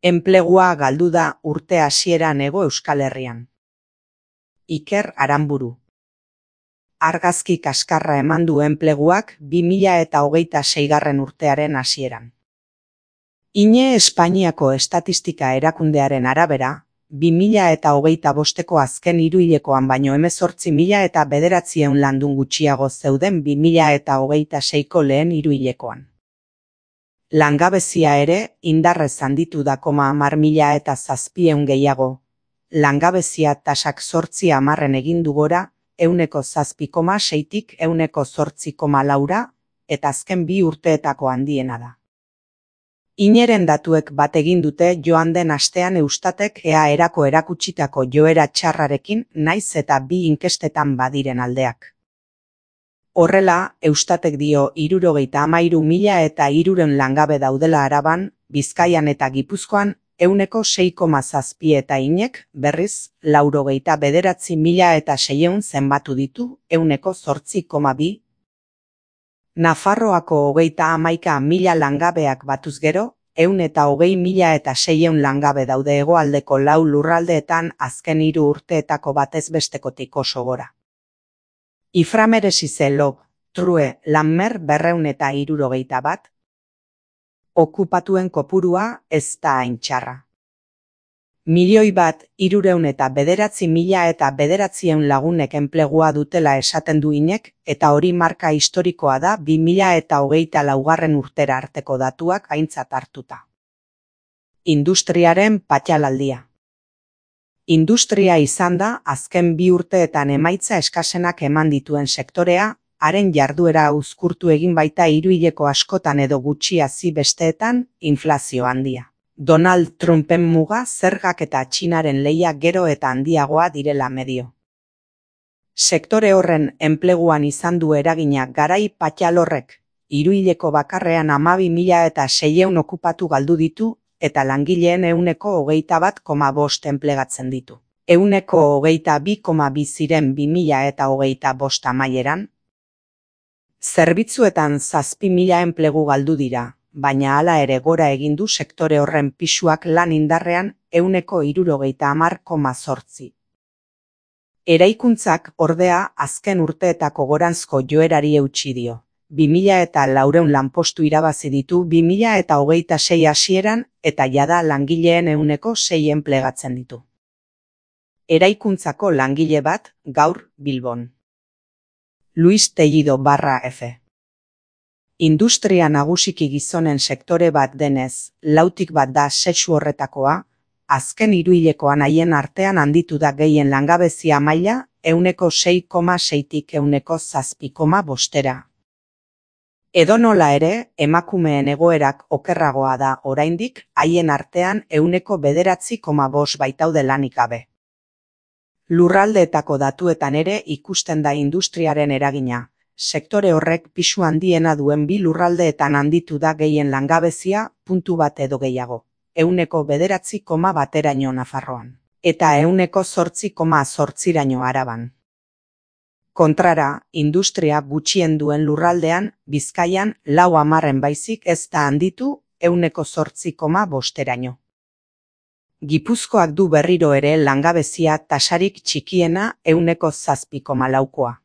Enplegua galdu da urte hasieran Hego Euskal Herrian. Iker Aranburu. Argazki kaskarra eman du enpleguak 2026 urtearen hasieran. INE Espainiako Estatistika Erakundearen arabera, 2025ko azken hiruhilekoan baino 18.900 landun gutxiago zeuden 2026ko lehen hiruhilekoan. Langabezia ere indarrez handitu da 10.700 gehiago. Langabezia tasak 8% egin du gora, 7,6tik 8,4,4 eta azken 2 urteetako handiena da. INEren datuek bat egin dute joan den astean Eustatek EAErako erakutsitako joera txarrarekin naiz eta 2 inkestetan badiren aldeak. Horrela, Eustatek dio 73.300 langabe daudela Araban, Bizkaian eta Gipuzkoan 6,7 eta INEk, berriz, 99.600 zenbatu ditu 8,2. Nafarroako 31.000 langabeak batuz gero, 120.600 langabe daude hegoaldeko 4 lurraldeetan azken 3 urteetako batez bestekotik oso gora. Iframeresize Lob, True, Lanmer 271. Okupatuen kopurua ez da hain txarra. 1.309.900 lagunek enplegua dutela esaten du INEk, eta hori marka historikoa da 2024 urtera arteko datuak aintzat hartuta. Industriaren patxalaldia. Industria izan da azken 2 urteetan emaitza eskasenak eman dituen sektorea, haren jarduera uzkurtu egin baita hiruhileko askotan edo gutxi hazi besteetan inflazio handia. Donald Trumpen muga zergak eta Txinaren lehia gero eta handiagoa direla medio. Sektore horren enpleguan izan du eragina garai patxal horrek, hiruhileko bakarrean 12.600 okupatu galdu ditu, eta langileen 21,5 enplegatzen ditu. 22,2 ziren 2025 amaieran. Zerbitzuetan 7.000 enplegu galdu dira, baina hala ere gora egin du sektore horren pisuak lan indarrean 70,8. Eraikuntzak ordea azken urteetako goranzko joerari eutsi dio. 2.400 lanpostu irabazi ditu 2026 hasieran eta jada langileen 6 enplegatzen ditu. Eraikuntzako langile bat gaur Bilbon. Luis Tellido /F. Industria nagusiki gizonen sektore bat denez, 4tik bat da sexu horretakoa, azken hiruhilekoan haien artean handitu da gehien langabezia maila 6,6tik 7,5. Edonola ere, emakumeen egoerak okerragoa da oraindik, haien artean 9,5 baitaude lanik gabe. Lurraldeetako datuetan ere ikusten da industriaren eragina. Sektore horrek pisu handiena duen 2 lurraldeetan handitu da gehien langabezia, puntu bat edo gehiago. 9,9 Nafarroan. Eta 8,8 Araban. Kontrara, industria gutxien duen lurraldean, Bizkaian 4 baizik ez da handitu 8,5. Gipuzkoak du berriro ere langabezia tasarik txikiena 7,4.